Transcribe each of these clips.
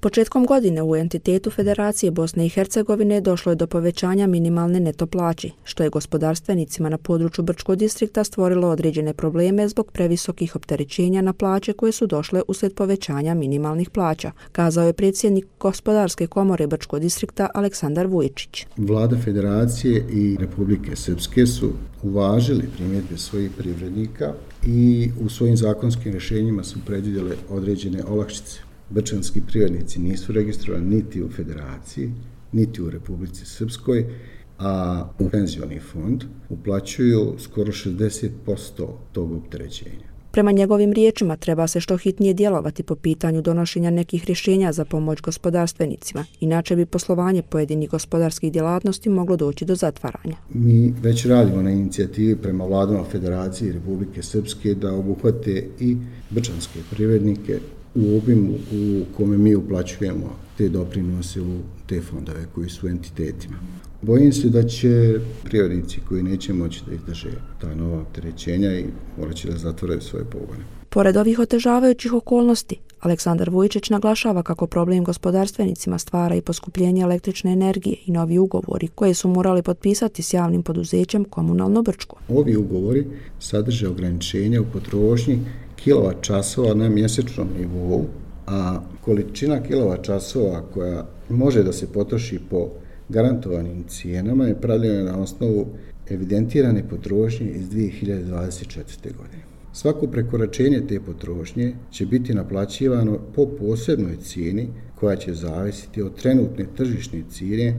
Početkom godine u entitetu Federacije Bosne i Hercegovine došlo je do povećanja minimalne neto plaće, što je gospodarstvenicima na području Brčkog distrikta stvorilo određene probleme zbog previsokih opterećenja na plaće koje su došle uslijed povećanja minimalnih plaća, kazao je predsjednik Gospodarske komore Brčkog distrikta Aleksandar Vujičić. Vlada Federacije i Republike Srpske su uvažili primjedbe svojih privrednika i u svojim zakonskim rješenjima su predvidjele određene olakšice. Brčanski privrednici nisu registrovani niti u Federaciji, niti u Republici Srpskoj, a u penzioni fond uplaćuju skoro 60% tog opterećenja. Prema njegovim riječima treba se što hitnije djelovati po pitanju donošenja nekih rješenja za pomoć gospodarstvenicima, inače bi poslovanje pojedinih gospodarskih djelatnosti moglo doći do zatvaranja. Mi već radimo na inicijativi prema vladama Federacije i Republike Srpske da obuhvate i brčanske privrednike u obimu u kome mi uplaćujemo te doprinose u te fondove koji su entitetima. Bojim se da će privrednici koji neće moći da izdrže ta nova opterećenja i morat će da zatvoraju svoje pogone. Pored ovih otežavajućih okolnosti, Aleksandar Vujičić naglašava kako problem gospodarstvenicima stvara i poskupljenje električne energije i novi ugovori koje su morali potpisati s javnim poduzećem Komunalno Brčko. Ovi ugovori sadrže ograničenja u potrošnji kilovat-časova na mjesečnom nivou, a količina kilovat-časova koja može da se potroši po garantovanim cijenama je pravljena na osnovu evidentirane potrošnje iz 2024. godine. Svako prekoračenje te potrošnje će biti naplaćivano po posebnoj cijeni koja će zavisiti od trenutne tržišne cijene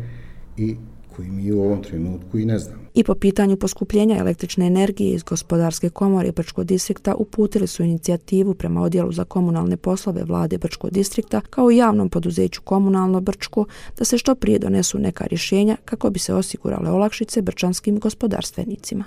i koji mi u ovom trenutku i ne znamo. I po pitanju poskupljenja električne energije iz Gospodarske komore Brčkog distrikta uputili su inicijativu prema Odjelu za komunalne poslove Vlade Brčkog distrikta kao i javnom poduzeću Komunalno Brčko da se što prije donesu neka rješenja kako bi se osigurale olakšice brčanskim gospodarstvenicima.